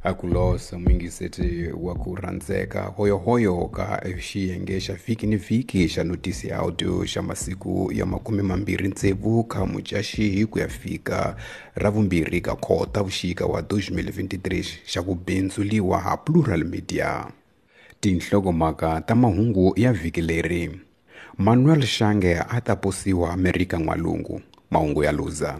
A ku losa muyingiseti wa ku rhandzeka hoyohoyo ka xiyenge xa vhiki ni vhiki xa notisi ya audio xa masiku ya 26 ka Mudyaxihi ku ya fika ra vumbirhi ka Khota vuxika wa 2023 xa ku bindzuliwa ha Plural Media. Tinhlokomhaka ta mahungu ya vhiki leri: Manuel Shange a ta posiwa Amerika N'walungu, mahungu ya Luza.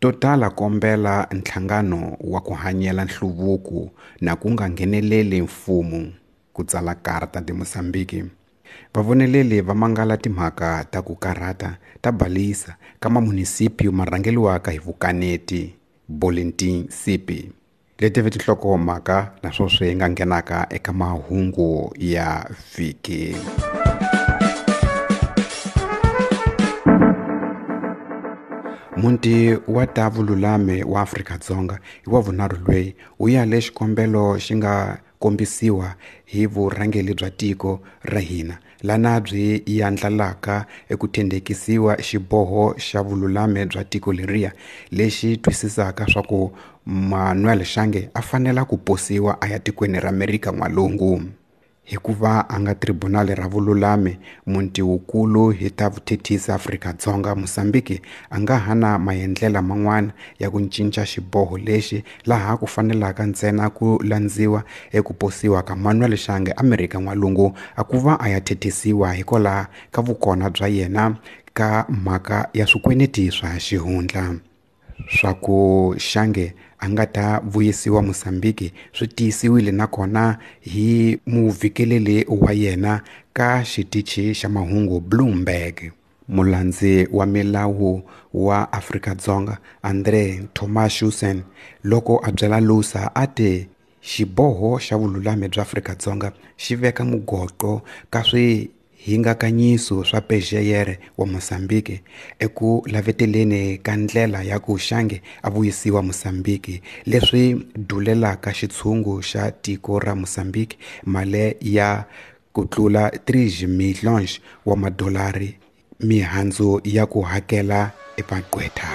Total kombela nhlangano wa ku hanyela nhluvuko na ku nga ngheneleli mfumo, ku tsala Carta de Mozambique. Vavoneleli va mangala timhaka ta ku karhata ta balisa ka mamunisipyu marhangeliwaka hi vukaneti, Boletim Sipi. Leti ve tinhlokomhaka na sweswi hi nga nghenaka eka mahungu ya vhiki. Muti wa ta vululami wa Afrika-Dzonga hi wa vunharhu loyi wu yale xikombelo xi nga kombisiwa hi vurhangeri bya tiko ra hina lana byi yandlalaka eku thendekisiwa xiboho xa vululami bya tiko leriya lexi twisisaka swa ku Manuel Shange a fanela ku posiwa a ya tikweni ra Amerika N'walungu. Hikuva a nga tribunali ra vululami muti wukulu hi ta vuthethisi Afrika-Dzonga Mozambique a nga ha na maendlela man'wana ya ku cinca xiboho lexi laha ku fanelaka ntsena ku landziwa eku posiwa ka Manuel Shange Amerika N'walungu a ku va a ya thethisiwa hikwalaho ka vukona bya yena ka mhaka ya swikweneti swa xihundla. Swa ku Shange a nga ta vuyisiwa Mozambique swi tiyisiwile nakona hi muvhikeleli wa yena ka xitichi xa mahungu Bloomberg. Mulandzi wa milawu wa Afrika-Dzonga Andre Thomashausen loko a byela Lusa a te xiboho xa vululami bya Afrika-Dzonga xi veka mugoqo ka swihingakanyiso swa PGR wa Mozambique eku laveteleni ka ndlela ya ku Shange a vuyisiwa Mozambique leswi dulelaka xitshungu xa tiko ra Mozambique mali ya ku tlula 3 milhões wa madolari mihandzu ya ku hakela epaqwetha.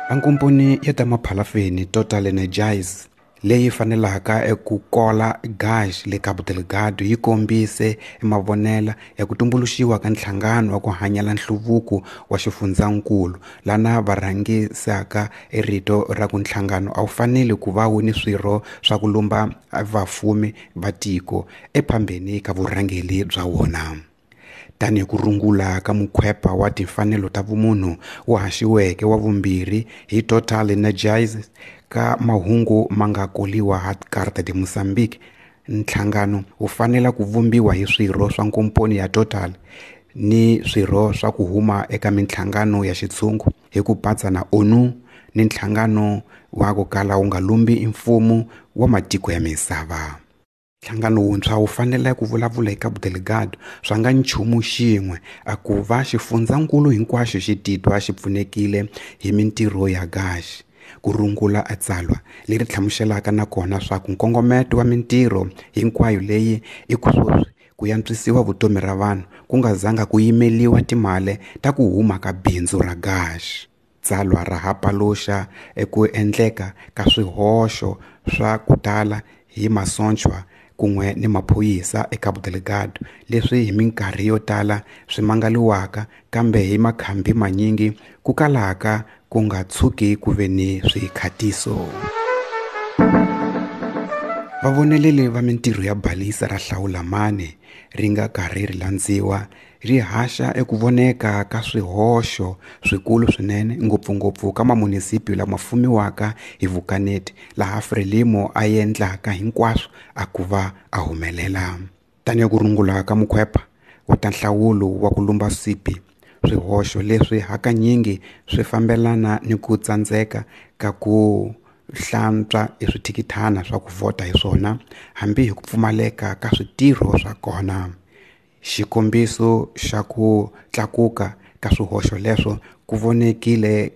Ankomponi ya ta maphalafeni Total Energies leyi fanelaka eku kola gas le Cabo Delgado yi kombise mavonela ya ku tumbuluxiwa ka nhlangano wa ku hanyela nhluvuko wa xifundzankulu lana va rhangisaka erito ra ku nhlangano a wu fanele ku va wu ni swirho swa ku lumba vafumi va tiko ephambeni ka vurhangeri bya wona. Tanihi ku rungula ka mukhwepa wa timfanelo ta vumunhu wu haxiweke wa vumbirhi hi Total Energies ka mahungu ma nga koliwa ha Carta de Mozambique, nhlangano wu fanela ku vumbiwa hi swirho swa nkomponi ya Total ni swirho swa ku huma eka minhlangano ya xitshungu hi ku patsa na ONU ni nhlangano wa ku kala wu nga lumbi mfumo wa matiko ya misava. Nhlangano wuntshwa wu fanele ku vulavula hi Cabo Delgado swa nga nchumu xin'we a ku va xifundzankulu hinkwaxo xi titwa xi pfunekile hi mintirho ya gas. Ku rungula a tsalwa leri hlamuselaka nakona swa ku nkongometo wa mintirho hinkwayo leyi i ku sweswi ku yantswisiwa vutomi ra vanhu ku nga zanga ku yimeliwa timali ta ku huma ka bindzu ra gas. Tsalwa ra ha paluxa eku endleka ka swihoxo swa ku tala hi masochwa kun'we ni maphorisa eCabo Delgado leswi hi minkarhi yo tala swi mangaliwaka kambe hi makhambi manyingi ku kalaka ku nga tshuki ku ve ni swikhatiso. Vavoneleli va mintirho ya balisa ra Hlawulamani ri nga karhi ri landziwa ri haxa eku voneka ka swihoxo swikulu swinene ngopfungopfu ka mamunisipyu lama fumiwaka hi vukaneti laha Frelimo a endlaka hinkwaswo a ku va a humelela. Tanihi ku rungula ka mukhwepa wa ta nhlawulo wa ku lumba sipi, swihoxo leswi hakanyingi swi fambelana ni ku tsandzeka ka ku hlantswa eswithikithana swa ku vhota hi swona hambi hi ku pfumaleka ka switirho swa kona. Xikombiso xa ku tlakuka ka swihoxo leswo ku vonekile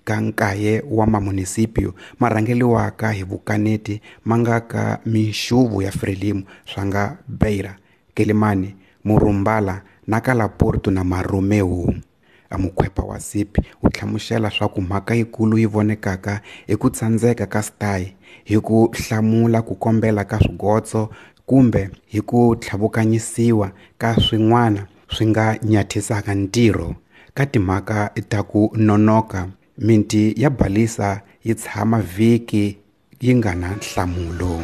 ka nkaye wa mamunisipyu ma rhangeliwaka hi vukaneti ma nga ka minxuvu ya Frelimo swa nga Beira, Quelimane, Morrumbala na ka Laporto na Marromeu. A mukhwepa wa SIP wu hlamusela swa ku mhaka yikulu yi vonekaka i ku tsandzeka ka STI hi ku hlamula ku kombela ka swigotso kumbe hi ku tlhavukanyisiwa ka swin'wana swi nga nyathisaka ntirho. Ka timhaka ta ku nonoka, miti ya balisa yi tshama vhiki yi nga na nhlamulo.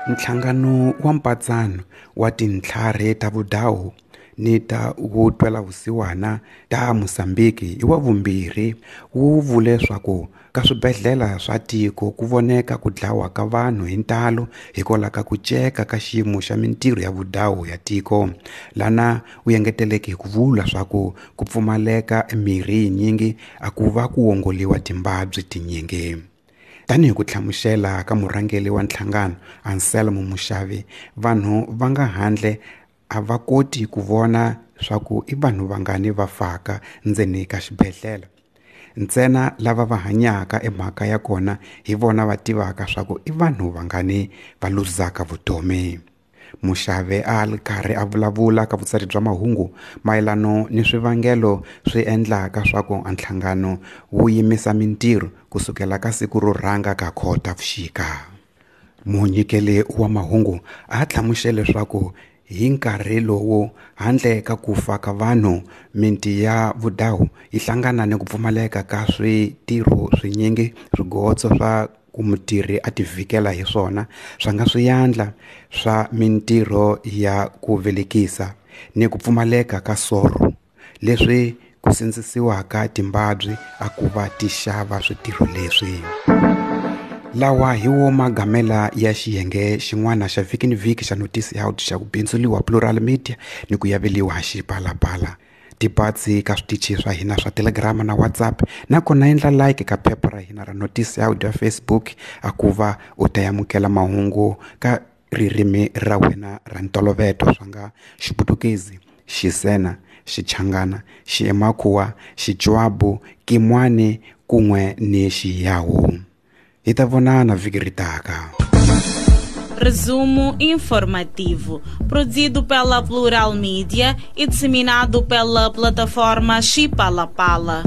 Nhlangano wa mpatsano wa tintlhari ta vudawu ni ta vutwelavusiwana ta Mozambiki i wa vumbirhi wu vule swaku ka swibedhlele swa tiko ku voneka ku dlawa ka vanhu hi ntalo hikwalaho ka ku ceka ka xiyimo xa mintirho ya vudawu ya tiko. Lana wu engeteleke hi ku vula swaku ku pfumaleka mirhi yinyingi a ku va ku wongoliwa timbabyi tinyingi. Tanihi ku hlamusela ka murhangeri wa nhlangano Anselmo Mushavi, vanhu va nga handle a va koti ku vona swaku i vanhu vangani va faka ndzeni ka xibedhlele. Ntsena lava va hanyaka emhaka ya kona hi vona va tivaka swaku i vanhu vangani va luzaka vutomi. Muxave a ri karhi a vulavula ka vutsari bya mahungu mayelano ni swivangelo swi endlaka swaku nhlangano wu yimisa mintirho kusukela ka siku ro rhanga ka Khotavuxika. Munyikeli wa mahungu a hlamusele leswaku hi nkarhi lowu handle ka ku fa ka vanhu miti ya vudawu yi hlangana ni ku pfumaleka ka switirho swinyingi swigotso swa ku mutirhi a tivhikela hi swona swa nga swiyandla swa mintirho ya ku velekisa ni ku pfumaleka ka soro leswi ku sindzisiwaka timbabyi a ku va ti xava switirho leswi. Lawa hi wo magamela ya xiyenge xin'wana xa vhiki ni vhiki xa notisi ya xa ku bindzuliwa Plural Media ni ku yaveliwa Xipalapala. Tipatsi ka switichi swa hina swa Telegram na WhatsApp nakona endla like ka phepha ra hina ra notisi ya audio ya Facebook a ku va u ta amukela mahungu ka ririmi ra wena ra ntoloveto swa nga Xiputukezi, Xisena, Xichangana, Xiemakhuwa, Xitswabu, Kimwani kun'we ni Xiyawu. Hi ta vonana vhiki ri taka. Resumo informativo, produzido pela Plural Mídia e disseminado pela plataforma Chipalapala.